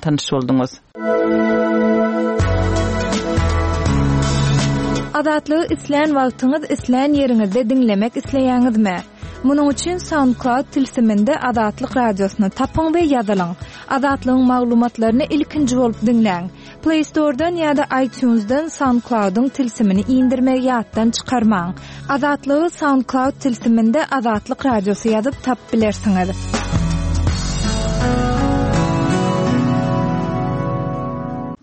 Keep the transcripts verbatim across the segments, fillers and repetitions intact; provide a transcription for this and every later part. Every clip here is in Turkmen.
tanyş bolduňyz. Azatlygy islän wagtyňyz, islän ýeriňizde diňlemek isleýäňizmi? Munuň üçin SoundCloud tilsiminde Azatlyk radiosyny tapyň we ýazylyň. Azatlygyň maglumatlaryny ilkinji bolup diňläň. Play Store'dan ýa-da iTunes'dan SoundCloud'yň tilsimini indirmegi ýatdan çykarmaň. Azatlygy SoundCloud tilsiminde Azatlyk radiosy ýazyp tapyp bilersiňiz.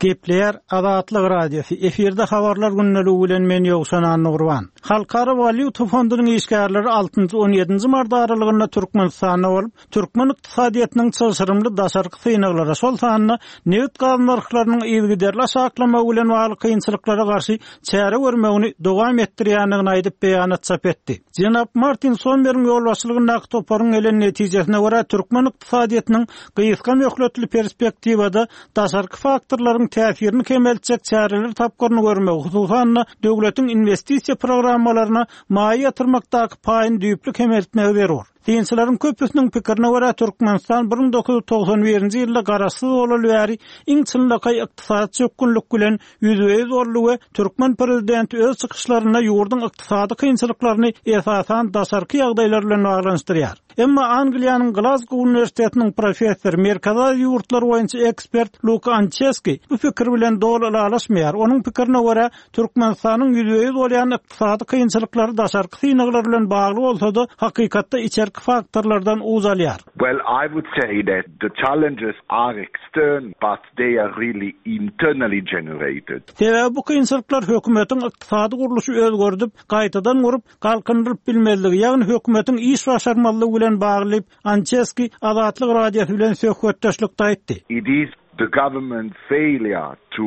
Gepleýär Azatlyk Radiosy. Efirde habarlar gündeligi bilen men Ýowşan Annagurban. Halkara walýuta fondunyň işgärleri altynjy on ýedinji mart aralygynda Türkmenistanda bolup, türkmen ykdysadyýetiniň çylşyrymly daşarky synaglara, şol sanda nebit gaz nyrhlarynyň yzygiderli aşaklamagy bilen bagly kynçylyklara garşy çäre görmegini dowam etdirýändigini aýdyp beýanat çap etdi. Jenap Martin Sommeriň ýolbaşçylygyndaky toparyň gelen netijesine görä türkmen ykdysadyýetiniň gysga möhletli perspektiwada daşarky faktorlaryň täsirini kemeltjek çäreler tapgyryny görmegi, hususan-da döwletiň investisiýa programmalaryna maýa ýatyrmakdaky paýyny düýpli kemeltmegi zerur. Synçylaryň köpüsiniň pikirine görä Türkmenistan bir müň dokuz ýüz togsan birinji ýylda garaşsyz bolaly bäri iň çynlakaý ykdysady çökgünlik bilen ýüzbe-ýüz boldy we türkmen prezidenti öz çykyşlarynda ýurduň ykdysady kynçylyklaryny esasan daşarky ýagdaýlar bilen baglanyşdyrýar. Emma Angliýanyň Glasgow Uniwersitetiniň professory, Merkezi Aziýa ýurtlary boýunça ekspert Luka Ançeski bu pikir bilen doly ylalaşmaýar. Onuň pikirine görä Türkmenistanyň ýüzbe-ýüz bolýan ykdysady kynçylyklary daşarky synaglar bilen bagly bolsa-da, hakykatda içerki faktorlardan uzalýar. Well, I would say that the challenges are external, but they are really internally generated. Sebäbi bu kynçylyklar hökümetiň ykdysady gurluşy özgerdip, gaýtadan gurup, galkyndyryp bilmezligi, ýagny hökümetiň iş başarmazlygy bilen bagly Ançeski Azatlyk Radiosy bilen söhbetdeşlikde aýtdy. It is the government failure to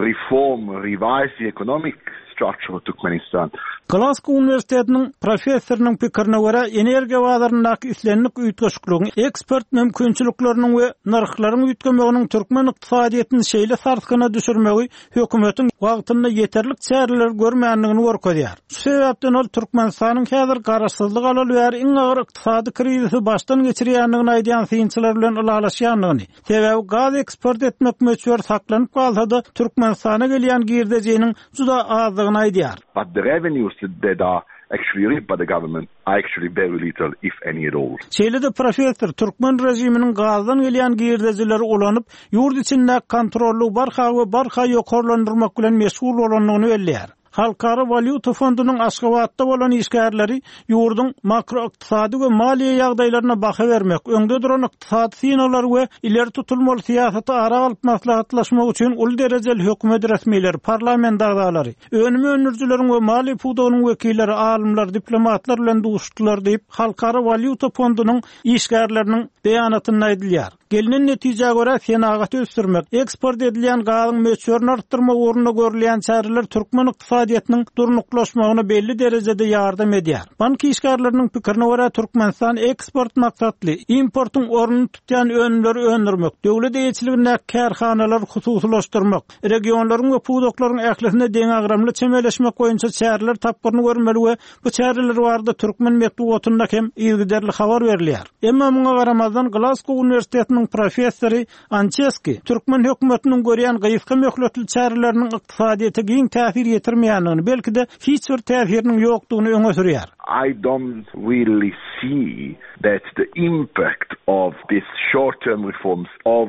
reform, revise the economic structure of Turkmenistan. Glasgow Uniwersitetiniň professorynyň pikirine görä, energiýa bazaryndaky islendik üýtgeşikligiň eksport mümkinçilikleriniň we nyrhlaryň üýtgemeginiň türkmen ykdysadyýetini şeýle sarsgyna düşürmegi hökümetiň wagtynda ýeterlik çäreler görmändigini görkezýär. Şu sebäpden ol Türkmenistanyň häzir garaşsyzlyk alaly bäri iň agyr ykdysady krizisi başdan geçirýändigini aýdýan synçylar bilen ylalaşýandygyny, sebäbi gaz eksport etmek möçberi saklanyp galsa-da Türkmenistana gelýän girdejiniň juda azdygyny aýdýar. But the revenues that are actually reaped by the government are actually very little, if any at all. Şeýle-de professor türkmen režiminiň gazdan gelýän girdejileri ulanyp, ýurt içindäki kontrollygy barha we barha ýokarlandyrmak bilen meşgul bolandygyny belleýär. Halkara walýuta fondunyň Aşgabatda bolan işgärleri ýurduň makroykdysady we maliýe ýagdaýlaryna baha bermek, öňde duran ykdysady synaglar we ileri tutulmaly syýasaty ara alyp maslahatlaşmak üçin uly derejeli hökümet resmileri, parlament agzalary, önüm öndürijileriň we maliýe pudagynyň wekilleri, alymlar, diplomatlar bilen duşdular diýip, Halkara walýuta fondunyň işgärleriniň beýanatynda aýdylýar. Gelinen netijä görä senagaty ösdürmek, eksport edilýän gazyň möçberini artdyrmak ugrunda görülýän çäreler türkmen ykdysadyýetiniň durnuklaşmagyna belli derejede ýardam edýär. Bank işgärleriniň pikirine görä Türkmenistan eksport maksatly importyň ornuny tutýan önümleri öndürmek, döwlet eýeçiligindäki kärhanalary hususylaşdyrmak, regionlaryň we pudaklaryň ählisine deňagramly çemeleşmek boýunça çäreler tapgyryny görmeli we bu çäreler barada türkmen metbugatynda hem yzygiderli habar berilýär. Emma muňa garamazdan Glasgow Uniwersitetiniň professory Ançeski türkmen hökümetiniň görýän gysga möhletli çäreleriniň ykdysadyýete giň täsir ýetirmeýändigini, belki-de hiç bir täsiriniň ýokdugyny öňe sürýär. I don't really see that the impact of these short-term reforms of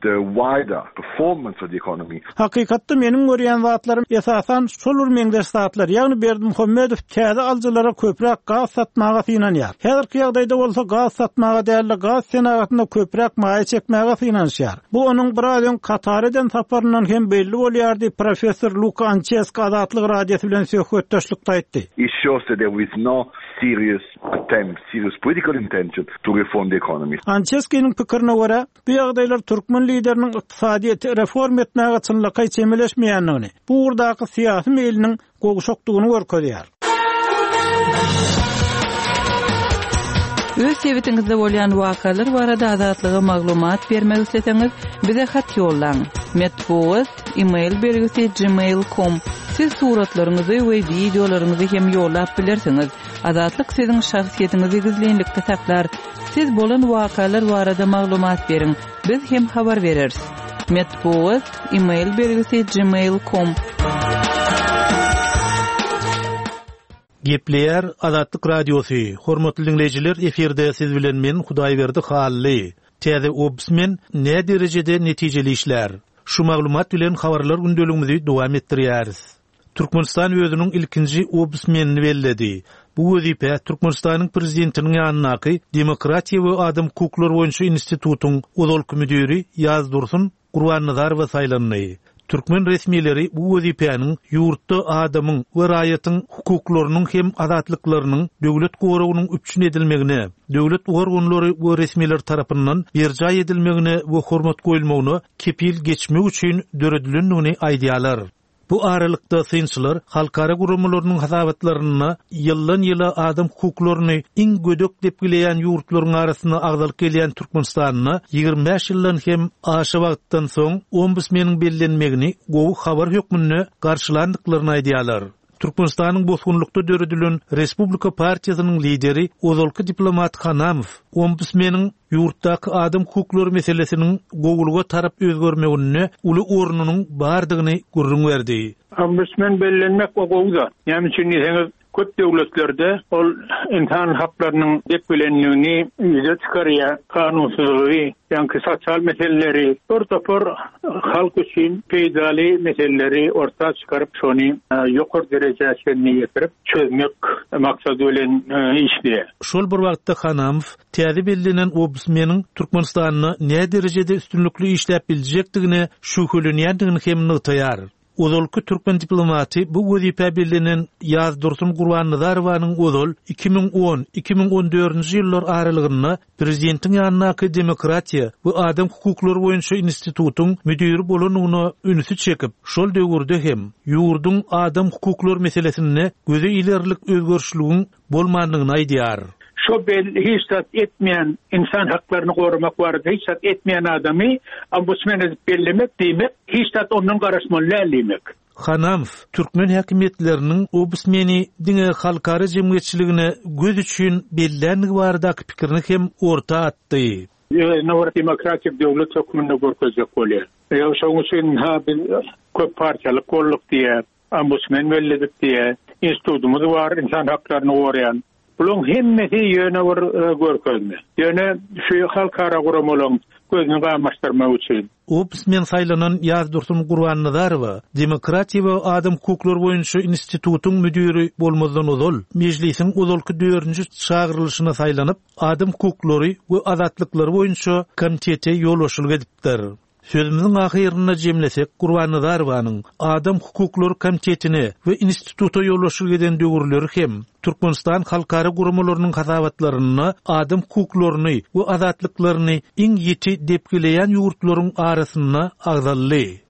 the wider performance of the economy. Hakykatda meniň görýän zatlarym esasan şol bir meňzeş zatlar, ýagny Berdimuhamedow täze alyjylara köpräk gaz satmaga synanýar. Häzirki ýagdaýda bolsa gaz satmaga däl-de gaz senagatyna köpräk maýa çekmäge synanyşýar. Bu onuň biraz öň Katar eden saparyndan hem belli bolýar diýip professor Luka Ançeski Azatlyk Radiosy bilen söhbetdeşlikde aýtdy. It shows that there is no serious attempt, serious political intention to reform the economy. Ançeskiniň pikirine görä, bu ýagdaýlar türkmen lideriniň ykdysadyýeti reform etmäge çynlakaý çemeleşmeýändigini, bu ugurdaky syýasy meýliniň gowşakdygyny görkezýär. Öz sebitiňizde bolýan wakalar barada Azatlyga maglumat bermek isleseňiz, bize hat ýollaň. Metbugat, e-mail belgisi gmail nokta com. Siz suratlaryňyzy we wideolaryňyzy hem ýollap bilersiňiz. Azatlyk siziň şahsyýetiňizi gizlinlikde saklar. Siz bolan wakalar barada maglumat beriň. Biz hem habar bereris. Metbugat, e-mail belgisi gmail.com. Gepleýär Azatlyk Radiosy. Hormatly dinleýjiler, efirde siz bilen men Hudaýberdi Hally. Täze ombudsman ne derejede netijeli işler? Şu maglumat bilen habarlar gündeligimizi dowam etdirýäris. Türkmenistan özüniň ilkinji ombudsmenini belledi. Bu wezipe Türkmenistanyň prezidentiniň ýanyndaky Demokratiýa we Adam hukuklary boýunça institutyň ozalky müdiri Ýazdursun Gurbannazarowa saýlandy. Türkmen resmileri bu wezipäniň ýurtda adamyň we raýatyň hukuklarynyň hem azatlyklarynyň döwlet goragynyň üpjün edilmegine, döwlet organlary we resmiler tarapyndan berjaý edilmegine we hormat goýulmagyna kepil geçmek üçin döredilendigini aýdýarlar. Bu aralykda synçylar halkara guramalarynyň hasabatlarynda ýyldan ýyla adam hukuklaryny iň gödek depgileýän ýurtlaryň arasynda agzalyp gelýän Türkmenistanda ýigrimi bäş ýyldan hem aşa wagtdan soň ombudsmeniň bellenmegini gowy habar hökmünde garşylandyklaryny aýdýarlar. Türkmenistanyň bosgunlykda döredilen Respublika partiýasynyň lideri ozalky diplomat Hanamow ombudsmeniň ýurtdaky adam hukuklary meselesiniň gowulyga tarap özgermeginde uly ornunyň bardygyny gürrüň berdi. Ombudsman bellenmek o gowuda. Näme üçin diýseňiz, köp döwletlerde ol insan haklarynyň depgilendigini ýüze çykarýar, kanunsyzlygy, ýa-da sosial meseleleri, bir topar halk üçin peýdaly meseleleri orta çykaryp, şony, e, ýokary derejä çenli ýetirip çözmek maksady bilen, e, işleýär. Şol bir wagtda Hanamow täze bellenen ombudsmeniň Türkmenistanda ne derejede üstünlikli işläp biljekdigine şübhelenýändigini hem nygtaýar. Ozalky türkmen diplomaty bu wezipe bellenen Ýazdursun Gurbannazarowanyň ozal iki müň on, iki müň on dördünji ýyllar aralygynda prezidentiň ýanyndaky Demokratiýa we Adam hukuklary boýunça institutyň müdiri bolanyna ünsi çekip, şol döwürde hem ýurduň adam hukuklary meselesinde göze ilerlik özgerişligiň bolmandygyny aýdýar. Şo bel hiç zat etmeýän insan haklaryny goramak barada hiç zat etmeýän adamy ombudsman edip bellemek diýmek, hiç zat ondan garaşmaly däl diýmek. Hanamow türkmen häkimiýetleriniň ombudsmeni diňe halkara jemgyýetçiligine göz üçin bellänligi baradaky pikirini hem orta atdy. Özüne bir demokratik döwlet hökmünde görkezjek bolýar. Ýa şonuň üçin ha biz köp partiýalyk bolduk diýe, ombudsman belledik diýe, institutymyz bar insan haklaryny goraýan. Bulan hemmesi ýöne bir, e, görkezme. Ýöne şu halkara guramalaryň gözüni gamaşdyrmak üçin. Ombudsman saýlanan Ýazdursun Gurbannazarowa Demokratiýa we Adam hukuklary boýunça institutyň müdiri bolmazdan ozal mejlisiň ozalky dördünji çagyrylyşyna saýlanyp, adam hukuklary we azatlyklary boýunça komitete ýolbaşçylyk edipdir. Sözümiziň ahyrynda jemlesek, Gurbannazarowanyň Adam hukuklary komitetine we instituta ýolbaşçylyk eden döwürleri hem Türkmenistan halkara guramalarynyň hasabatlarynda adam hukuklaryny we azatlyklaryny iň ýiti depgileýän ýurtlaryň arasynda agzaldy.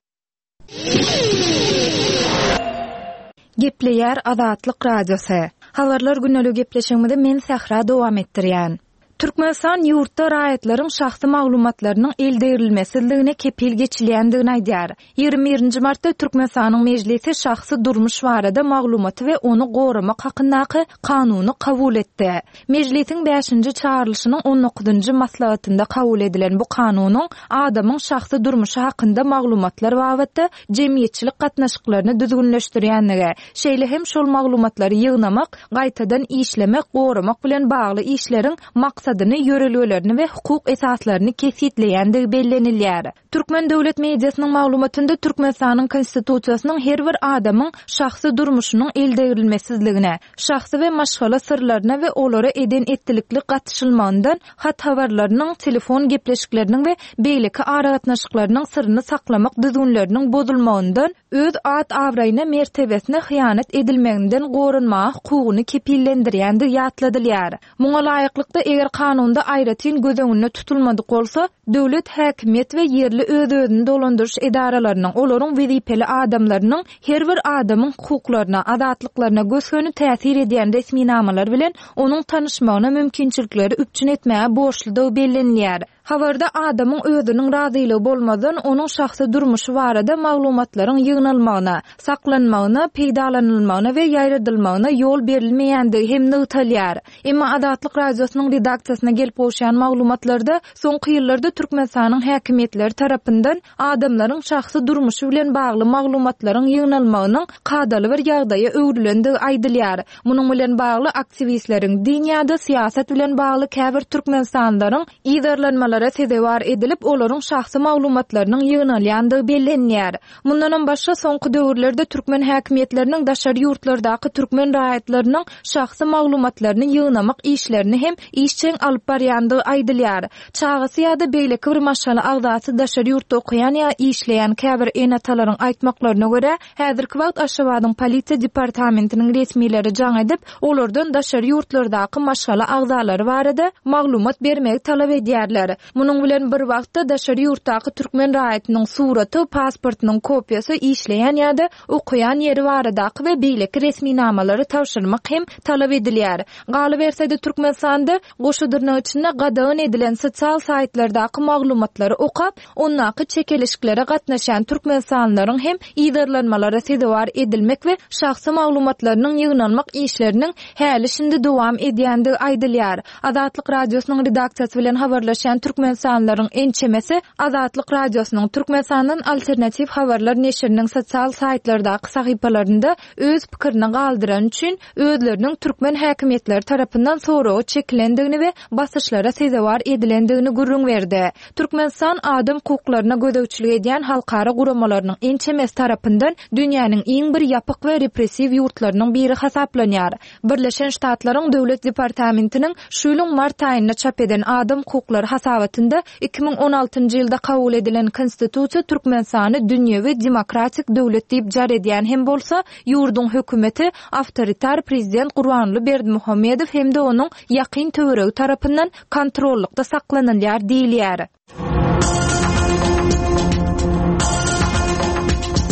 Gepleýär Azatlyk Radiosy. Habarlar günlük gepleşigimizi men Sähra dowam etdirýän. Türkmenistan ýurtda raýatlaryň şahsy maglumatlarynyň eldegrilmesizligine kepil geçilýändigini aýdýar. Ýigrimi birinji martda Türkmenistanyň mejlisi şahsy durmuş barada maglumaty we ony goramak hakyndaky kanuny kabul etdi. Mejlisiň bäşinji çagyrylyşynyň on dokuzynjy maslahatynda kabul edilen bu kanunyň adamyň şahsy durmuşy hakynda maglumatlar babatda jemgyýetçilik gatnaşyklaryny düzgünleşdirýänligi, şeýle hem şol maglumatlary ýygnamak, gaýtadan işlemek, goramak bilen bagly işleriň maksadyny, ýörelgelerini we hukuk esaslaryny kesgitleýändigi bellenilýär. Türkmen döwlet mediasynyň maglumatynda Türkmenistanyň konstitusiýasynyň her bir adamyň şahsy durmuşynyň eldegrilmesizligine, şahsy we maşgala syrlaryna we olara eden etdilikli gatyşylmagyndan hat habarlarynyň, telefon gepleşikleriniň we beýleki aragatnaşyklarynyň syryny saklamak düzgünleriniň bozulmagyndan, öz at abraýyna mertebesine hyýanat edilmeginden goranmaga hukugyny kepillendirýändigi ýatladylýar. Muňa laýyklykda eger kanunda aýratyn göz öňünde tutulmadyk bolsa, döwlet häkimiýet we ýerli öz-özüni dolandyryş edaralarynyň, olaryň wezipeli adamlarynyň her bir adamyň hukuklaryna, azatlyklaryna gös-göni täsir edýän resminamalar bilen onuň tanyşmagyna mümkinçilikleri üpjün etmäge borçludygy bellenilýär. Habarda adamyň özüniň razylygy bolmazdan onuň şahsy durmuşy barada maglumatlaryň ýygnalmagyna, saklanmagyna, peýdalanylmagyna we ýaýradylmagyna ýol berilmeýändigi hem nygtalýar. Emma Azatlyk Radiosynyň redaksiýasyna gelip gowşan maglumatlarda soňky ýyllarda Türkmenistanyň häkimiýetleri tarapyndan adamlaryň şahsy durmuşy bilen bagly maglumatlaryň ýygnalmagynyň kadaly bir ýagdaýa öwrülendigi aýdylýar. Munuň bilen bagly aktiwistleriň din ýa-da syýasat bilen bagly käbir Türkmenistanlylaryň yzarlanmalara sezewar edilip, olaryň şahsy maglumatlarynyň ýygnalýandygy bellenýär. Mundanam başga soňky döwürlerde türkmen häkimiýetleriniň daşary ýurtlardaky türkmen raýatlarynyň şahsy maglumatlaryny ýygnamak işlerini hem işjeň alyp barýandygy aýdylýar. Çagasy ýa-da beýleki bir maşgala agzasy daşary ýurtda okaýan ýa işleýän käbir ene-atalaryň aýtmaklaryna görä, häzirki wagt Aşgabadyň polisiýa departamentiniň resmileri jaň edip, olardan daşary ýurtlardaky maşgala agzalary barada maglumat bermegi talap edýärler. Munuň bilen bir wagtda daşary ýurtdaky türkmen raýatynyň suraty, pasportynyň kopiýasy, işleýän ýa-da okaýan ýeri baradaky we beýleki resminamalary tabşyrmak hem talap edilýär. Galyberse-de Türkmenistanda goşa dyrnak içinde gadagan edilen sosial saýtlardaky maglumatlary okap, ondaky çekeleşiklere gatnaşan Türkmenistanlylaryň hem yzarlanmalara sezewar edilmek we şahsy maglumatlarynyň ýygnalmak işleriniň häli şindi dowam edýändigi aýdylýar. Azatlyk Radiosynyň redaksiýasy bilen habarlaşan Türkmenistanlylaryň ençemesi Azatlyk Radiosynyň Türkmenistandan alternatiw habarlar neşiriniň sosial saýtlardaky sahypalarynda öz pikirini galdyran üçin özleriniň türkmen häkimiýetleri tarapyndan soraga çekilendigini we basyşlara sezewar edilendigini gürrüň berdi. Türkmenistan adam hukuklaryna gözegçilik edýän halkara guramalarynyň ençemesi tarapyndan dünýäniň iň bir ýapyk we repressiw ýurtlarynyň biri hasaplanýar. Birleşen Ştatlaryň Döwlet departamentiniň şu ýylyň mart aýynda çap eden adam hukuklary hasabatynda iki müň on altynjy ýylda kabul edilen Konstitusiýa Türkmenistany dünýewi demokratik döwlet diýip jar edýän hem bolsa, ýurduň hökümeti awtoritar prezident Gurbanguly Berdimuhamedow hem-de onuň ýakyn töweregi tarapyndan kontrollykda saklanylýar diýilýär.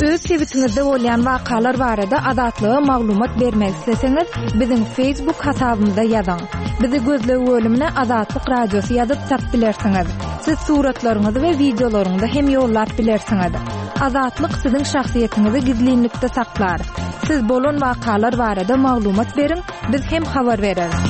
Öz sebitiňizde bolýan wakalar barada Azatlyga maglumat bermek isleseňiz, biziň Facebook hasabymyza ýazyň. Bizi gözleg bölümine Azatlyk Radiosy ýazyp tap bilersiňiz. Siz suratlaryňyzy we wideolaryňyzy hem ýollap bilersiňiz. Azatlyk siziň şahsyýetiňizi gizlinlikde saklar. Siz bolan wakalar barada maglumat beriň, biz hem habar bereris.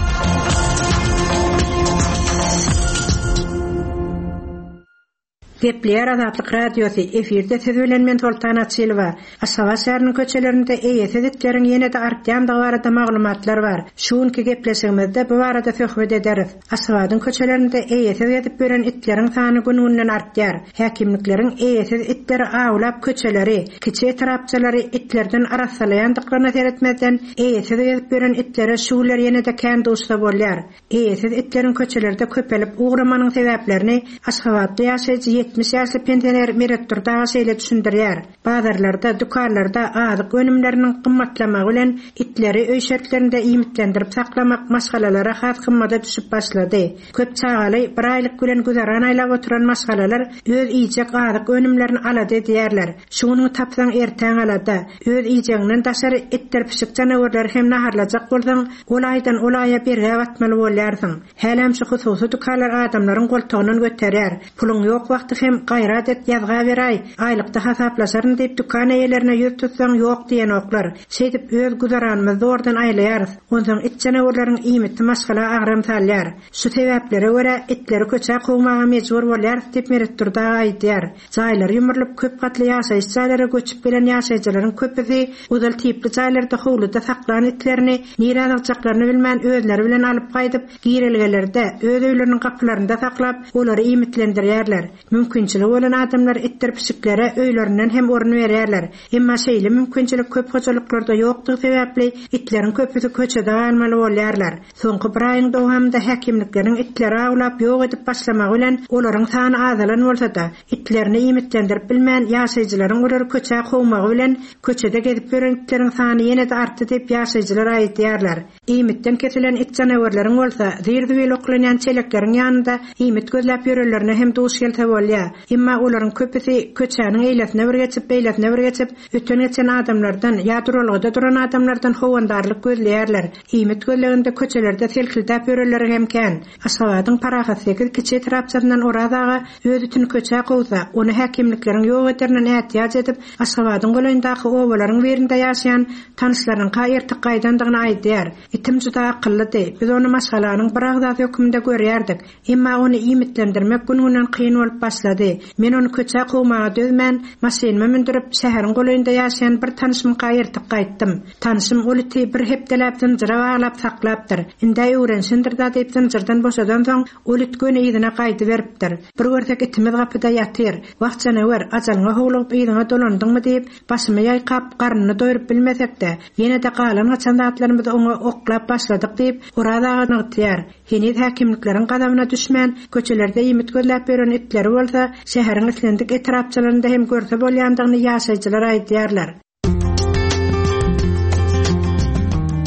Gepleýär Azatlyk Radiosy, efirde siz bilen men Soltan Açylowa. Aşgabat şäheriniň köçelerinde eýesiz itleriň ýene-de artýandygy barada maglumatlar bar. Şu günki gepleşigimizde bu barada söhbet ederis. Aşgabadyň köçelerinde eýesiz gezip ýören itleriň sany gün-günden artýar. Häkimlikleriň eýesiz itleri awlap köçeleri, kiçi etrapçalary itlerden arassalaýandyklaryna seretmezden eýesiz gezip ýören itlere şu günler ýene-de kän duşsa bolýar. Eýesiz itleriň köçelerde köpelip ugramanyň sebäplerini Aşgabatda ýaşaýjy ýetmiş ýaşly pensioner Meret Durdy aga şeýle düşündirýär. Bazarlarda, dükanlarda azyk önümleriniň gymmatlamagy bilen itleri öý şertlerinde iýmitlendirip saklamak maşgalalara has gymmata düşüp başlady. Köp çagaly bir aýlyk bilen güzeran aýlap oturan maşgalalar öz iýjek azyk önümlerini alada edýärler. Şunuň tapsaň ertäň alada, öz iýjeginden daşary itdir pişik janawarlary hem naharlajak bolsaň, ol aýdan ol aýa bergä batmaly bolýarsyň. Hälem şu hususy dükanlar adamlaryň goltugyndan göterýär. Puluň ýok wagty hem gaýrat et ýazga beraý, aýlykda hasaplaşaryn diýip dükan eýelerine ýüz tutsaň ýok diýenoklar. Şeýdip öz güzeranymyzy zordan aýlaýarys. Onsoň it janawarlaryň iýmiti maşgala agram salýar. Şu sebäplere görä itleri köçä kowmaga mejbur bolýarys diýip Meret Durdy aga aýdýar. Jaýlar ýumrulyp köp gatly ýaşaýyş jaýlara göçüp gelen ýaşaýjylaryň köpüsi uzal tipli jaýlarda howluda saklan itlerini nirä aljaklaryny bilmän özleri bilen alyp gaýdyp girelgelerde öz öýleriniň gapylarynda saklap olary iýmitlendirýärler. Mümkinçiligi bolan adamlar itdir pişiklere öýlerinden hem orun berýärler. Emma şeýle mümkinçilik köp hojalyklarda ýokdugy sebäpli itleriň köpüsi köçede galmaly bolýarlar. Soňky bir aýyň dowamynda häkimlikleriň itleri awlap ýok edip başlamagy bilen olaryň sany azalan bolsa-da, itlerini iýmitlendirip bilmän ýaşaýjylaryň olary köçä kowmagy bilen köçede gezip ýören itleriň sany ýene-de artdy diýip ýaşaýjylar aýdýarlar. Iýmitden kesilen it janawarlaryň bolsa zir-zibil oklanýan çelekleriň ýanynda iýmit gözläp ýörenlerine hem duş gelse bolýar. bolýar. Emma olaryň köpüsi köçäniň eýlesine bir geçip, beýlesine bir geçip, öten-geçen adamlardan ýa duralgada duran adamlardan howandarlyk gözleýärler. Iýmit gözleginde köçelerde selkildäp ýörenleri hem kän. Aşgabadyň Parahat sekiz kiçi etrapçasyndan Oraz aga öz itini köçä kowsa, ony häkimlikleriň ýok ederinden ätiýaç edip, Aşgabadyň golaýyndaky obalaryň birinde ýaşaýan tanyşlarynyňka ertik gaýdandygyny aýdýar. Itim juda akyllydy. Biz ony maşgalanyň bir agzasy hökmünde görýärdik. Emma ony iýmitlendirmek gün-günden kyn bolup başlady. Men ony köçä kowmaga dözmän, maşynyma mündürip, şäheriň golaýynda ýaşaýan bir tanyşymka ertik gaýtdym. Tanyşym ol iti bir hepdeläp zynjyra baglap saklapdyr. Indi öwrenşindir da diýip zynjyrdan boşadan soň ol it göni yzyna gaýdy beripdir. Bir görsek itimiz gapyda ýatyr. Wah janawer, ajalyňa howlugyp yzyňa dolandyňmy diýip, başymy ýaýkap, garnyny doýrup bilmesek-de, ýene-de galan gaçan zatlarymyzy oňa oklap başladyk diýip, Oraz aga nygtaýar. Heniz häkimlikleriň gazabyna düşmän, köçelerde iýmit gözläp ýören itleri bolsa, şäheriň islendik etrapçalarynda hem görse bolýandygyny ýaşaýjylar aýdýarlar.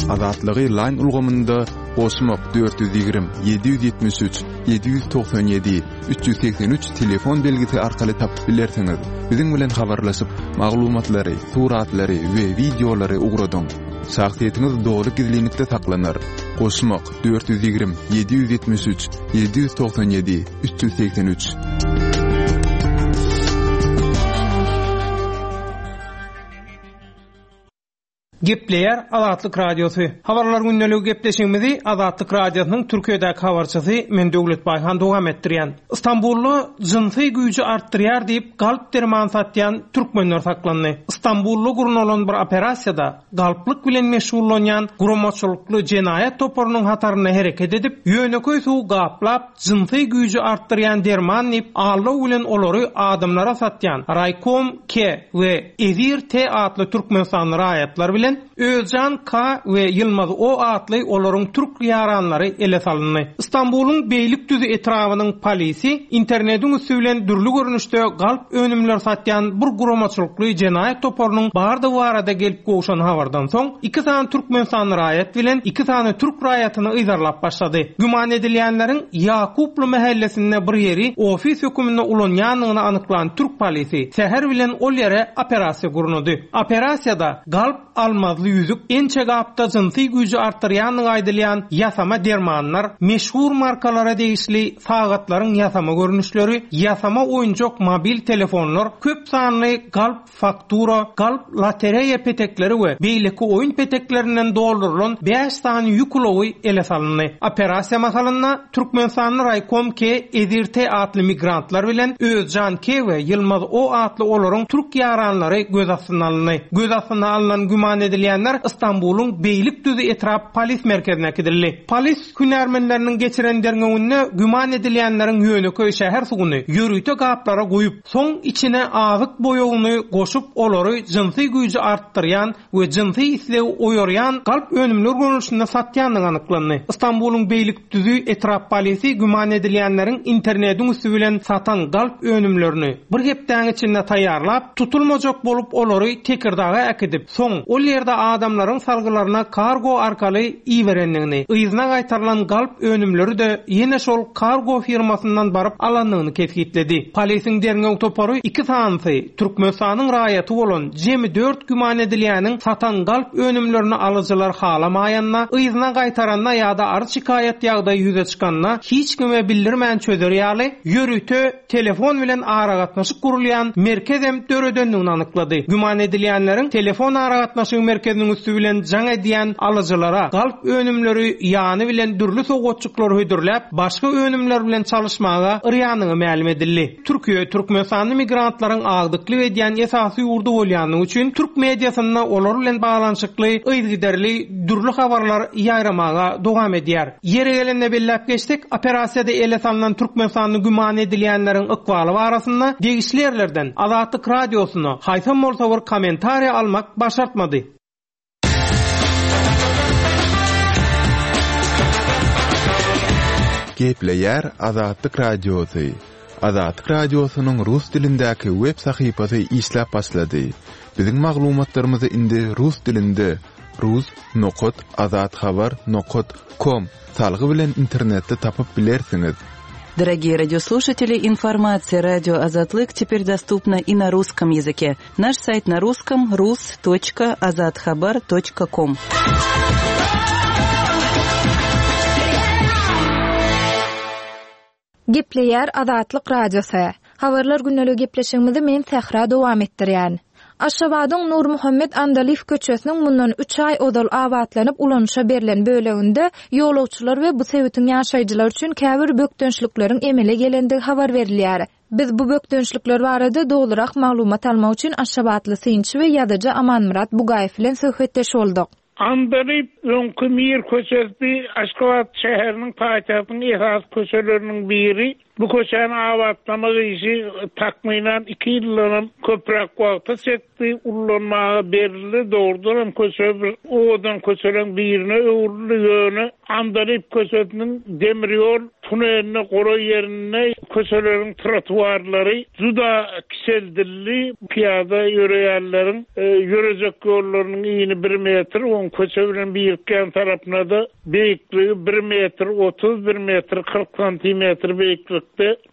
Azatlygy Line ulgamynda goşmak dört ýüz ýigrimi, ýedi ýüz ýetmiş üç, ýedi ýüz togsan ýedi, üç ýüz segsen üç telefon belgisi arkaly tapyp bilersiňiz. Biziň bilen habarlaşyp, maglumatlary, suratlary we wideolary ugradyň. Şahsyýetiňiz doly gizlinlikde saklanar. Goşmak dört ýüz ýigrimi, ýedi ýüz ýetmiş üç, ýedi ýüz togsan ýedi, üç ýüz segsen üç. Gepleýär Azatlyk Radiosy. Habarlar gündeligi gepleşigimizi Azatlyk Radiosynyň Türkiýedäki habarçysy men Döwlet Baýhan dowam etdirýän. Istanbulda jynsy güýji artdyrýar diýip galp derman satýan türkmenler saklandy. Istanbulda gurnalan bir operasiýada galplyk bilen meşgullanýan guramaçylykly jenaýat toparynyň hatarynda hereket edip, ýöneköý suw gaplap jynsy güýji artdyrýan derman diýip aldaw bilen olary adamlara satýan Raykom K we Ezir T atly Türkmenistanly raýatlar bilen Özcan K we Ýylmaz O atly olaryň türk ýaranlary ele salyndy. Istanbulyň Beýlikdüzi etrabynyň polisi internetiň üstü bilen dürli görnüşde galp önümler satýan bir guramaçylykly jenaýat toparynyň bardygy barada gelip gowşan habardan soň iki sany Türkmenistanly raýat bilen iki sany türk raýatyny yzarlap başlady. Güman edilýänleriň Ýakuply mahallesinde bir ýeri ofis höküminde ulanýandygyny anyklan türk polisi säher bilen ol ýere operasiýa gurnady. Operasiýada galp almazly ýüzük, ençe gapda jynsy güýji artdyrýandygy aýdylýan ýasama dermanlar, meşhur markalara degişli sagatlaryň ýasama görnüşleri, ýasama oýunjak mobil telefonlar, köp sanly galp faktura, galp lotereýa petekleri we beýleki oýun peteklerinden doldurylan bäş sany ýük ulagy ele salyndy. Operasiýa mahalynda Türkmenistanly Raykom K, Ezir T atly migrantlar bilen Özcan K we Ýylmaz O atly olaryň türk ýaranlary göz astyna alyndy. Göz astyna alynan güman edilýänler Istanbulyň Beýlikdüzi etrap polis merkezine äkidildi. Polis hünärmenleriniň geçiren derňewinde güman edilýänleriň ýöneköý şäher suwuny ýörite gaplara goýup, soň içine azyk boýagyny goşup olary jynsy güýji artdyrýan we jynsy islegi oýarýan galp önümler görnüşinde satýandygy anyklandy. Istanbulyň Beýlikdüzi etrap polisi güman edilýänleriň internetiň üstü bilen satan galp önümlerini bir hepdäň içinde taýýarlap, tutulmajak bolup olary Tekirdaga äkidip, soň ol ýerde adamlaryň salgylaryna kargo arkaly iberendigini, yzyna gaýtarylan galp önümleri de ýene şol kargo firmasyndan baryp alandygyny kesgitledi. Polisiň derňew topary iki sanysy Türkmenistanyň raýaty bolan jemi dört güman edilýäniň satan galp önümlerini alyjylar halamaýanda, yzyna gaýtaranda ýa-da arz şikaýat ýagdaýy ýüze çykanda hiç kime bildirmän çözer ýaly ýörite telefon bilen aragatnaşyk gurulýan merkezem döredendigini anyklady. Güman edilýänleriň telefon aragatnaşyk merkeziniň üstü bilen jaň edýän alyjylara galp önümleri ýany bilen dürli sowgatçyklar hödürläp, başga önümler bilen çalyşmaga yrýanyny mälim edildi. Türkiýe Türkmenistanly migrantlaryň agdyklyk edýän esasy ýurdy bolýanlygy üçin türk mediasynda olar bilen baglanyşykly yzygiderli dürli habarlar ýaýramaga dowam edýär. Ýere gelende belläp geçdik, operasiýada ele salynan Türkmenistanly güman edilýänleriň ykbaly barasynda degişli ýerlerden Azatlyk Radiosyna haýsam bolsa bir kommentariýa almak başartmady. Gepleýär Azatlyk Radiosy. Azatlyk Radiosynyň rus dilindäki web sahypasy işläp başlady. Biziň maglumatlarymyzy indi rus dilinde rus nokat azathabar nokat com salgy bilen internetde tapyp bilersiňiz. Дорогие радиослушатели, информация радио Азатлык теперь доступна и на русском языке. Наш сайт на русском rus.azathabar.com. Gepleýär Azatlyk Radiosy. Habarlar günlügi gepleşigimizi men Sähra dowam etdirýän. Aşgabadyň Nurmuhammet Andalyf köçesiniň mundan üç aý ozal abatlanyp ulanyşa berlen böleginde ýolagçylar we bu sebitiň ýaşaýjylary üçin käbir bökdençlikleriň emele gelendigi habar berilýär. Biz bu bökdençlikler barada dogrurak maglumat almak üçin Aşgabatly synçy we ýazyjy Amanmyrat Bugaýew bilen söhbetdeş bolduk. Andalyp öňkü Mir köçesi Aşgabat şäheriniň paýtagtynyň esas köçeleriniň biri. Bu köçäni abatlamak işi takmynan iki ýyldan köpräk wagta çekdi. Ullanmaga berildi. Dogrudan hem köçe bir owadan köçeleriň birine öwrüldi. Ýöne Andalyp köçesiniň demir ýol tuneline golaý ýerinde köçeleriň trotuarlary juda kiçeldildi. Piyada ýöreýänleriň, e, ýörejek ýollarynyň ýyny bir metr, oň köçe bilen birikýän tarapyna da beýikligi bir metr otuz, bir metr kyrk santimetr beýiklikde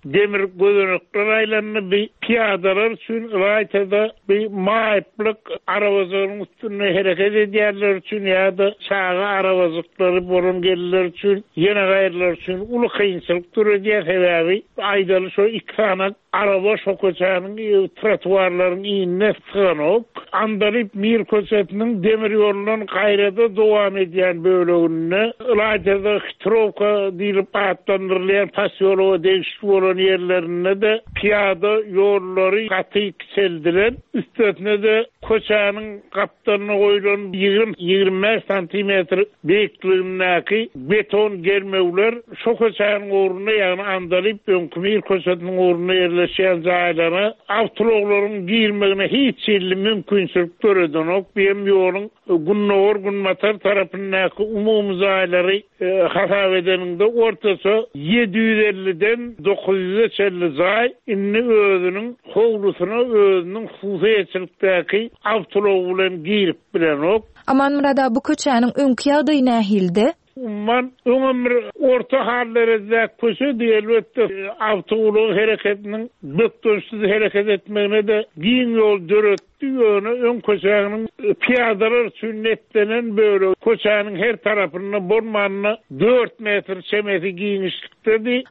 demir gözenekler aýlandy. Bir piyadalar üçin ylaýtada bir maýyplyk arabajygyň üstünde hereket edýänler üçin ýa-da çaga arabajyklary bolan gelinler üçin, ýene gaýrylar üçin uly kynçylyk döredýär. Sebäbi aýdaly şo iki sany araba şo köçäniň, e, trotuarlaryň inine syganok. Andalyp Mir köçesiniň demir ýolundan gaýrada dowam edýän böleginde ylaýtada Hitrowka diýlip atlandyrylýan posýologa degişli bolan ýerlerinde de piyada ýollary gaty kiçeldilen. Üstesine de köçäniň gapdalyna goýlan ýigrimi, ýigrimi bäş santimetr beýikligindäki beton germewler şo köçäniň ugrunda, ýagny Andalyp öňkü Mir köçesiniň ugrunda ýerleşýän jaýlara awtoulaglaryň girmegine hiç hili mümkinçilik döredenok. Bu hem ýoluň gündogar günbatar tarapyndaky umumy jaýlary, e, hasap edeninde ortaça ýedi ýüz elliden dokuz ýüze çenli jaý indi özüniň howlusyna özüniň hususyýetçilikdäki awtoulag bilen girip bilenok. Amanmyrat bu köçäniň öňki ýagdaýy nähildi? Umman öňem bir orta hallerde köçe elbetde awtoulag hereketiniň bökdençsiz hereket etmegine de giň ýol döretdi. Ýöne öň köçäniň piyadalar üçin netlenen bölegi köçäniň her tarapynda bolmanyna dört metr çemesi giňişlikdedi.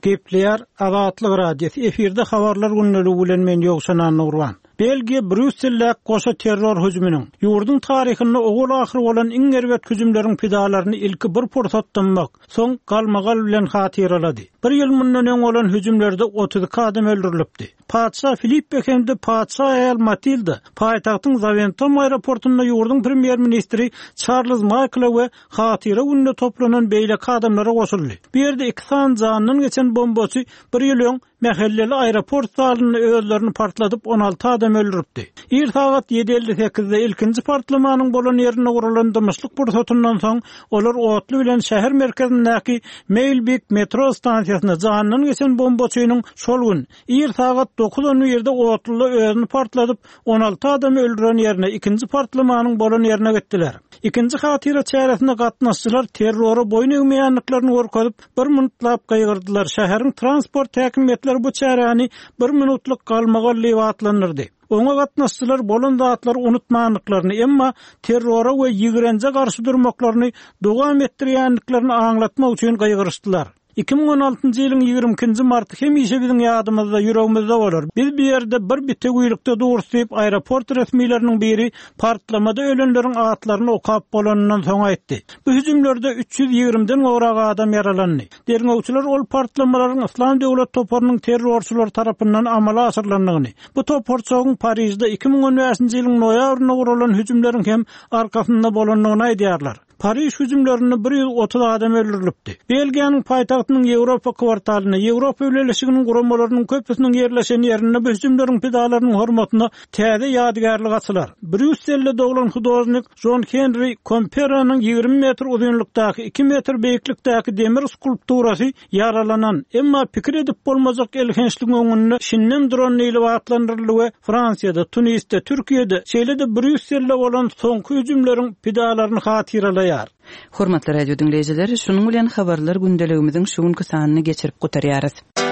Gepleýär Azatlyk Radiosy efirde habarlar günlügi bilen men Ýowşan Annurwan. Belgiýa Brýusselde goşa terror hüjüminiň ýurduň taryhynda ogul ahyr bolan iň erbet hüjümleriň pidalaryny ilki bir pursat dymmak, soň galmagal bilen hatyralady. Bir ýyl mundan öň bolan hüjümlerde otuz iki adam öldürilipdi. Patyşa Filippe hem-de patyşa aýal Matilda paýtagtyň Zaventem aeroportunda ýurduň premýer-ministri Charles Michael we hatyra gününe toplanan beýleki adamlara goşuldy. Bu ýerde iki sany jandan geçen bombaçy bir ýyl öň mähelleli aeroport zalynda özlerini partladyp on alty adam öldüripdi. Ir sagat ýedi elli sekizde ilkinji partlamanyň bolan ýerinde gurulan dymyşlyk pursatyndan soň olar otly bilen şäher merkezindäki Maelbeek metro stansiýasyna jandan geçen bombaçynyň şol gün ir sagat dokuz on birde otlyda özüni partladyp on alty adamy öldüren ýerine ikinji partlamanyň bolan ýerine gitdiler. Ikinji hatyra çäresine gatnaşdylar terrora boýun egmeýänliklerini görkezip bir minutlap gaýgyrdylar. Şäheriň transport häkimiýetleri bu çäräni bir minutlyk galmagal diýip atlandyrdy. Oňa gatnaşdylar bolan zatlary unutmanlyklaryny, emma terrora we ýigrenje garşy durmaklaryny dowam etdirýänliklerini aňlatmak üçin gaýgyryşdylar. Iki müň on altynjy ýylyň ýigrimi ikinji marty hemişe biziň ýadymyzda, ýüregimizde bolar. Biz bir ýerde bir bitewilikde durus diýip aeroport resmileriniň biri partlamada ölenleriň atlaryny okap bolanyndan soň aýtdy. Bu hüjümlerde üç ýüz ýigrimden gowrak adam ýaralandy. Derňewçiler ol partlamalaryň Islam döwlet toparynyň terrorçylary tarapyndan amala aşyrylandygyny, bu toparçagyň Parijde iki müň on bäşinji ýylyň noýabrynda guralan hüjümleriň hem arkasynda bolandygyny aýdýarlar. Pariž hüjümlerinde bir ýüz otuz adam öldürilipdi. Belgiýanyň paýtagtynyň Ýewropa kwartalynda Ýewropa Bileleşiginiň guramalarynyň köpüsiniň ýerleşen ýerinde bu hüjümleriň pidalarynyň hormatyna täze ýadygärlik açylar. Brýusselde doglan hudožnik John Henry Komperanyň ýigrimi metr uzynlykdaky iki metr beýiklikdäki demir skulpturasy ýaralanan, emma pikir edip bolmajak elhençligiň öňünde şinden duran diýlip atlandyryldy we Fransiýada, Tunisde, Türkiýede, şeýle-de Brýusselde bolan soňky hüjümleriň pidalaryny hatyralaýar. nygtaýar. Hormatly radio diňleýjiler, şunuň bilen habarlar gündeligimiziň şu günki sanyny geçirip gutarýarys.